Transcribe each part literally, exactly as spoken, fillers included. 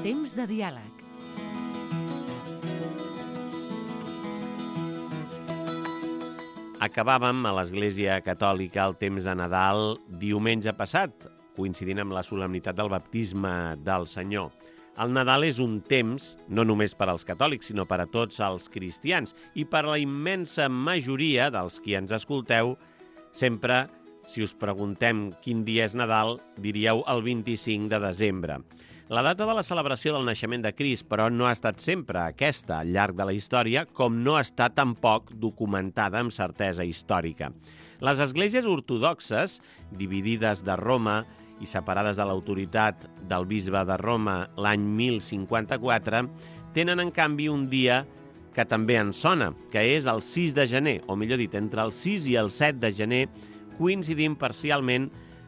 Temps de diàleg. Acabàvem a l'Església Catòlica el temps de Nadal diumenge passat, coincidint amb la solemnitat del baptisme del Senyor. El Nadal és un temps, no només per als catòlics, sinó per a tots els cristians i per a la immensa majoria dels qui ens escolteu. Sempre, si us preguntem quin dia és Nadal, diríeu el vint-i-cinc de desembre. La data de la celebració del naixement de Crist, però, no ha estat sempre aquesta al llarg de la història, com no està tampoc documentada amb certesa històrica. Les esglésies ortodoxes, dividides de Roma i separades de l'autoritat del bisbe de Roma l'any mil cinquanta-quatre, tenen, en canvi, un dia que també ens sona, que és el sis de gener, o millor dit, entre el sis i el set de gener, coincidint parcialment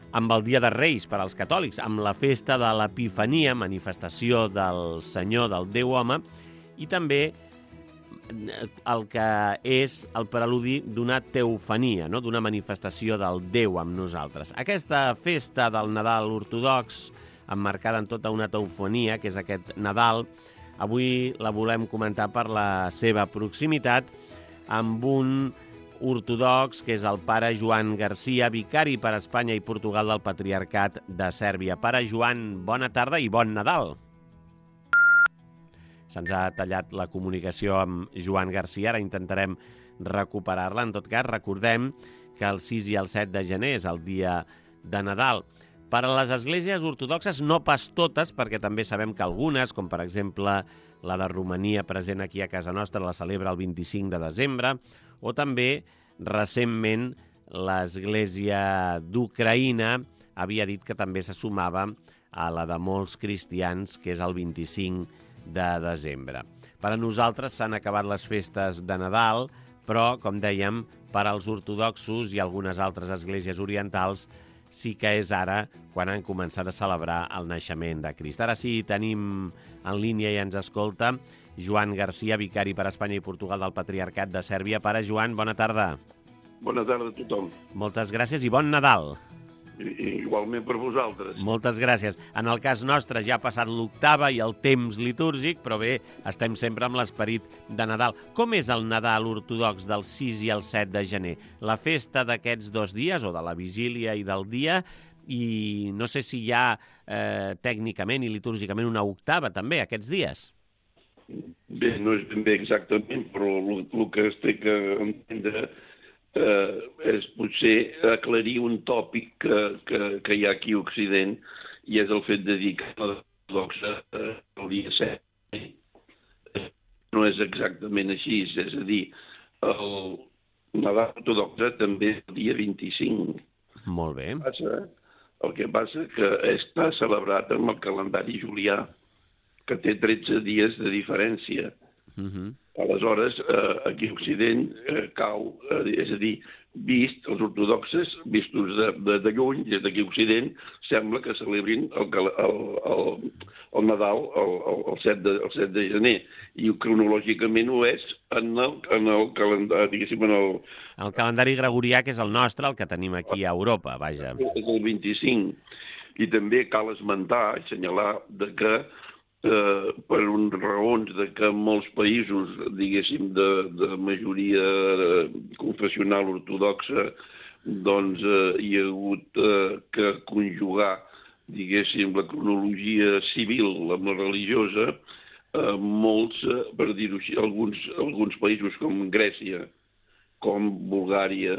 amb el Dia de Reis per als catòlics, amb la festa de l'Epifania, manifestació del Senyor, del Déu home, i també el que és el preludi d'una teofania, no? D'una manifestació del Déu amb nosaltres. Aquesta festa del Nadal ortodox, emmarcada en tota una teofania, que és aquest Nadal, avui la volem comentar per la seva proximitat amb un ortodox, que és el pare Joan Garcia, vicari per Espanya i Portugal del Patriarcat de Sèrbia. Pare Joan, bona tarda i bon Nadal. Se'ns ha tallat la comunicació amb Joan Garcia, ara intentarem recuperar-la. En tot cas, recordem que el sis i el set de gener és el dia de Nadal. Per a les esglésies ortodoxes, no pas totes, perquè també sabem que algunes, com per exemple la de Romania present aquí a casa nostra, la celebra el vint-i-cinc de desembre, o també, recentment, l'Església d'Ucraïna havia dit que també se sumava a la de molts cristians, que és el vint-i-cinc de desembre. Per a nosaltres s'han acabat les festes de Nadal, però, com dèiem, per als ortodoxos i algunes altres esglésies orientals sí que és ara quan han començat a celebrar el naixement de Crist. Ara sí, tenim en línia i ens escolta Joan Garcia, vicari per Espanya i Portugal del Patriarcat de Sèrbia. Pare Joan, bona tarda. Bona tarda a tothom. Moltes gràcies i bon Nadal. I, igualment per vosaltres. Moltes gràcies. En el cas nostre ja ha passat l'octava i el temps litúrgic, però bé, estem sempre amb l'esperit de Nadal. Com és el Nadal ortodox del sis i el set de gener? La festa d'aquests dos dies, o de la vigília i del dia, i no sé si hi ha eh, tècnicament i litúrgicament una octava també aquests dies. Bé, no és ben bé exactament, però el, el que es té que entendre eh, és potser aclarir un tòpic que, que, que hi ha aquí a Occident, i és el fet de dir que l'ortodoxa eh, el dia set no és exactament així, és a dir, el Nadal ortodoxa també és el dia vint-i-cinc. Molt bé. Passa, el que passa que està celebrat amb el calendari julià, que té tretze dies de diferència. Uh-huh. Aleshores, eh, aquí a Occident eh, cau, eh, és a dir, vist, els ortodoxes, vistos de, de, de lluny, des d'aquí a Occident, sembla que celebrin el, el, el, el Nadal el, el, el, set de, el set de gener, i cronològicament ho és en el, en el calendari, diguéssim, en el... El calendari gregorià, que és el nostre, el que tenim aquí a Europa, vaja. És el vint-i-cinc. I també cal esmentar, assenyalar, de que Eh, per un, raons de que en molts països, diguéssim, de, de majoria confessional ortodoxa, doncs eh, hi ha hagut eh, que conjugar, diguéssim, la cronologia civil amb la religiosa. Eh, molts, eh, per dir-ho així, alguns, alguns països com Grècia, com Bulgària,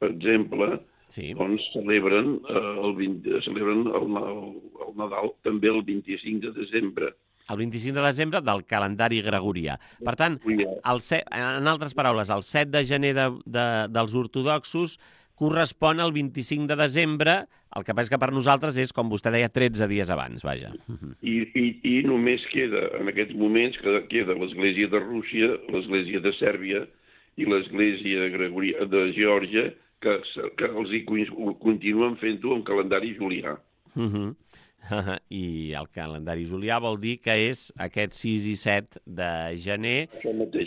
per exemple, sí. Doncs celebren, eh, el, vint, celebren el, el, el Nadal també el vint-i-cinc de desembre. El vint-i-cinc de desembre del calendari gregorià. Per tant, el set, en altres paraules, el set de gener de, de, dels ortodoxos correspon al vint-i-cinc de desembre, el que passa que per nosaltres és, com vostè deia, tretze dies abans, vaja. I, i, i només queda, en aquests moments, que queda l'Església de Rússia, l'Església de Sèrbia i l'Església de Geòrgia, que, que els hi continuen fent-ho amb calendari julià. Uh-huh. I el calendari julià vol dir que és aquest sis i set de gener,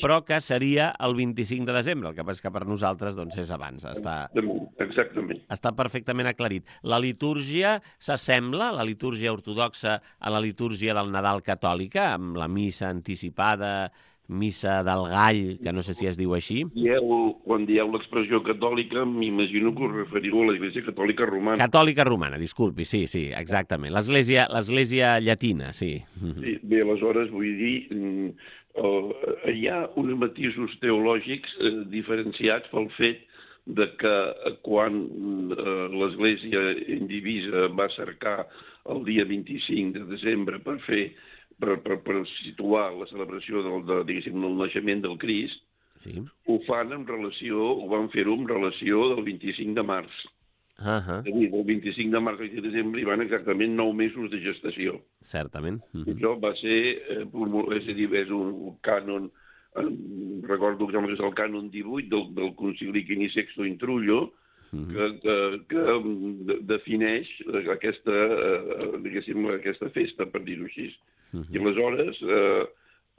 però que seria el vint-i-cinc de desembre. El que passa és que per nosaltres doncs, és abans. Està, Exactament. Està perfectament aclarit. La litúrgia s'assembla, la litúrgia ortodoxa, a la litúrgia del Nadal catòlica, amb la missa anticipada, missa del gall, que no sé si es diu així. Dieu, quan dieu l'expressió catòlica, m'imagino que us referiu a l'Església Catòlica Romana. Catòlica Romana, disculpi, sí, sí, exactament. L'Església l'Església llatina, sí. Sí. Bé, aleshores, vull dir, eh, hi ha uns matisos teològics eh, diferenciats pel fet de que quan eh, l'Església indivisa va cercar el dia vint-i-cinc de desembre per fer Per, per, per situar la celebració del, de, diguéssim, del naixement del Crist, sí. Ho fan en relació, ho van fer-ho en relació del vint-i-cinc de març. Uh -huh. És a dir, del vint-i-cinc de març al vint de desembre hi van exactament nou mesos de gestació. Certament. Uh -huh. Això va ser, eh, és a dir, és un cànon, eh, recordo que és el cànon divuit del, del concili Quini Sexto in Trullo, Uh -huh. que, que, que defineix aquesta, eh, diguéssim, aquesta festa, per dir-ho així. Uh -huh. I aleshores, eh,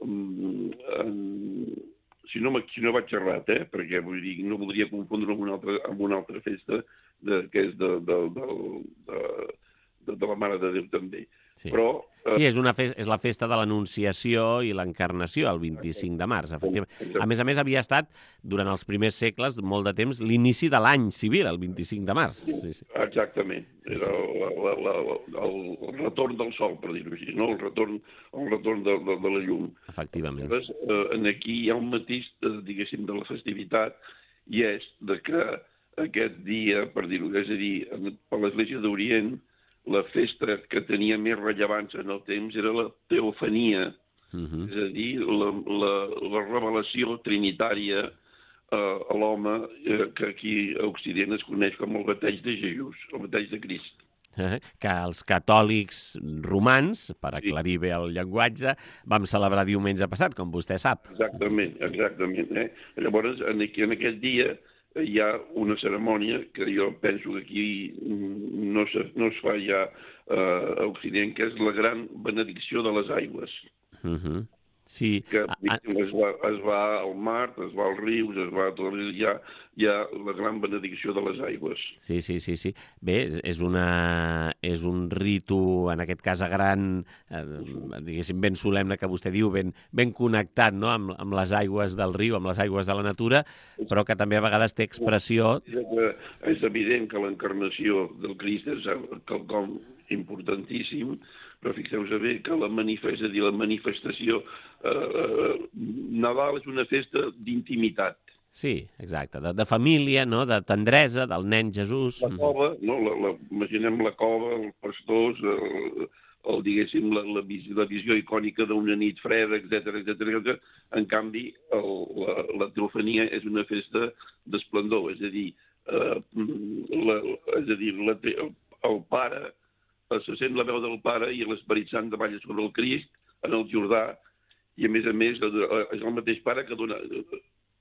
en, si, no, si no vaig errat, eh, perquè vull dir, no voldria confondre amb una altra, amb una altra festa de, que és de, de, de, de, de, de la Mare de Déu també. Sí. Però, eh... sí, és, una festa, és la festa de l'Anunciació i l'Encarnació, el vint-i-cinc de març, efectivament. A més a més, havia estat, durant els primers segles, molt de temps, l'inici de l'any civil, el vint-i-cinc de març. Sí, sí. Exactament. Era la, la, la, la, el retorn del sol, per dir-ho així, no? el retorn, el retorn de, de, de la llum. Efectivament. Llavors, eh, aquí hi ha un matís, eh, diguéssim, de la festivitat, i és de que aquest dia, per dir-ho, és a dir, per l'Església d'Orient, la festa que tenia més rellevància en el temps era la teofania, uh -huh. és a dir, la, la, la revelació trinitària eh, a l'home, eh, que aquí a Occident es coneix com el bateig de Jesús, el bateig de Crist. Eh, que els catòlics romans, per aclarir bé el llenguatge, vam celebrar diumenge passat, com vostè sap. Exactament, exactament. Eh? Llavors, en, en aquest dia hi ha una cerimònia que jo penso que aquí no, se, no es fa ja eh, a Occident, que és la gran benedicció de les aigües. Uh -huh. Sí. Que es va, es va al mar, es va als rius, es va a tot, hi ha, hi ha la gran benedicció de les aigües. Sí, sí, sí, sí. Bé, és, una, és un ritu, en aquest cas a gran, eh, diguéssim, ben solemne, que vostè diu, ben, ben connectat, no?, amb, amb les aigües del riu, amb les aigües de la natura, però que també a vegades té expressió... És evident que l'encarnació del Crist és quelcom importantíssim, però fixeu-vos bé que la, manifest, és a dir, la manifestació... Eh, Nadal és una festa d'intimitat. Sí, exacte, de, de família, no?, de tendresa, del nen Jesús. La cova, no? la, la, imaginem la cova, els pastors, el, el, diguéssim, la, la, visió, la visió icònica d'una nit freda, etcètera, etcètera. En canvi, el, la, la teofania és una festa d'esplendor, és a dir, eh, la, és a dir la, el, el pare... se sent la veu del Pare i l'Esperit Sant davalla sobre el Crist en el Jordà, i a més a més és el mateix Pare que dona,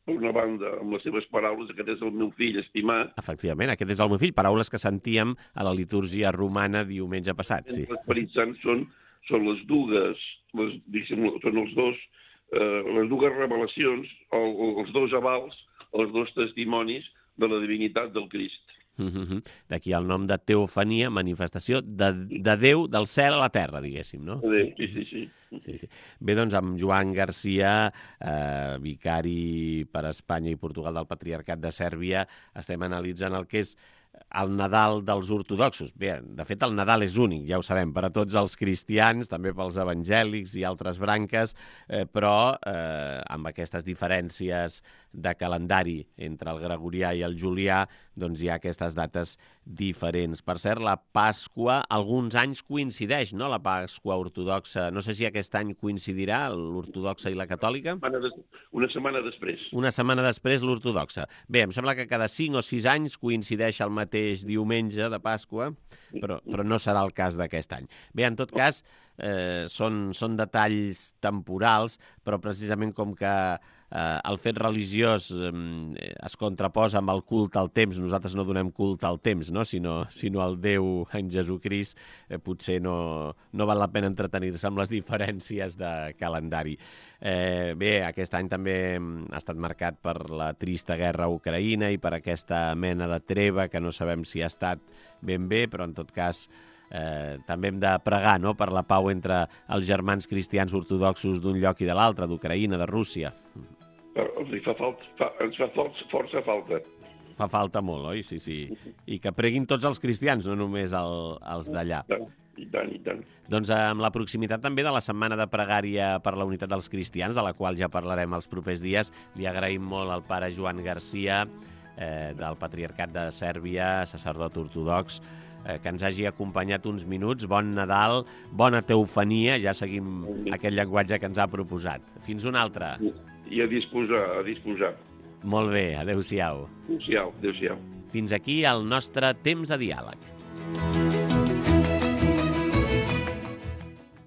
per una banda, amb les seves paraules, aquest és el meu fill estimat. Efectivament, aquest és el meu fill, paraules que sentíem a la litúrgia romana diumenge passat. Sí. L'Esperit Sant són, són les dues, les, són els dos, eh, les dues revelacions, el, els dos avals, els dos testimonis de la divinitat del Crist. Uh-huh. D'aquí el nom de teofania, manifestació de, de Déu del cel a la terra, diguéssim, no? De Déu, sí, sí, sí. Sí, sí. Bé, doncs, amb Joan Garcia, eh, vicari per Espanya i Portugal del Patriarcat de Sèrbia, estem analitzant el que és el Nadal dels ortodoxos. Bé, de fet, el Nadal és únic, ja ho sabem, per a tots els cristians, també pels evangèlics i altres branques, eh, però eh, amb aquestes diferències de calendari entre el gregorià i el julià, doncs hi ha aquestes dates diferents. Per cert, la Pasqua alguns anys coincideix, no?, la Pasqua ortodoxa. No sé si aquest any coincidirà l'ortodoxa i la catòlica. Una, des... una setmana després. Una setmana després l'ortodoxa. Bé, em sembla que cada cinc o sis anys coincideix el mateix diumenge de Pasqua, però, però no serà el cas d'aquest any. Bé, en tot cas, eh, són, són detalls temporals, però precisament com que eh, el fet religiós eh, es contraposa amb el culte al temps, nosaltres no donem culte al temps, no? sinó, sinó al Déu en Jesucrist, eh, potser no, no val la pena entretenir-se amb les diferències de calendari. Eh, bé, aquest any també ha estat marcat per la trista guerra a Ucraïna i per aquesta mena de treva que no sabem si ha estat ben bé, però en tot cas eh, també hem de pregar, no?, per la pau entre els germans cristians ortodoxos d'un lloc i de l'altre, d'Ucraïna, de Rússia. Els fa falta, fa, ens fa força, força falta. Fa falta molt, oi? Sí, sí. I que preguin tots els cristians, no només el, els d'allà. I tant, i tant. Doncs amb la proximitat també de la Setmana de Pregària per la Unitat dels Cristians, de la qual ja parlarem els propers dies, li agraïm molt al pare Joan Garcia, eh, del Patriarcat de Sèrbia, sacerdot ortodox, eh, que ens hagi acompanyat uns minuts. Bon Nadal, bona teofania, ja seguim aquest llenguatge que ens ha proposat. Fins una altra. I a disposar, a disposar. Molt bé, adéu-siau. Adéu-siau, adéu-siau. Fins aquí el nostre temps de diàleg.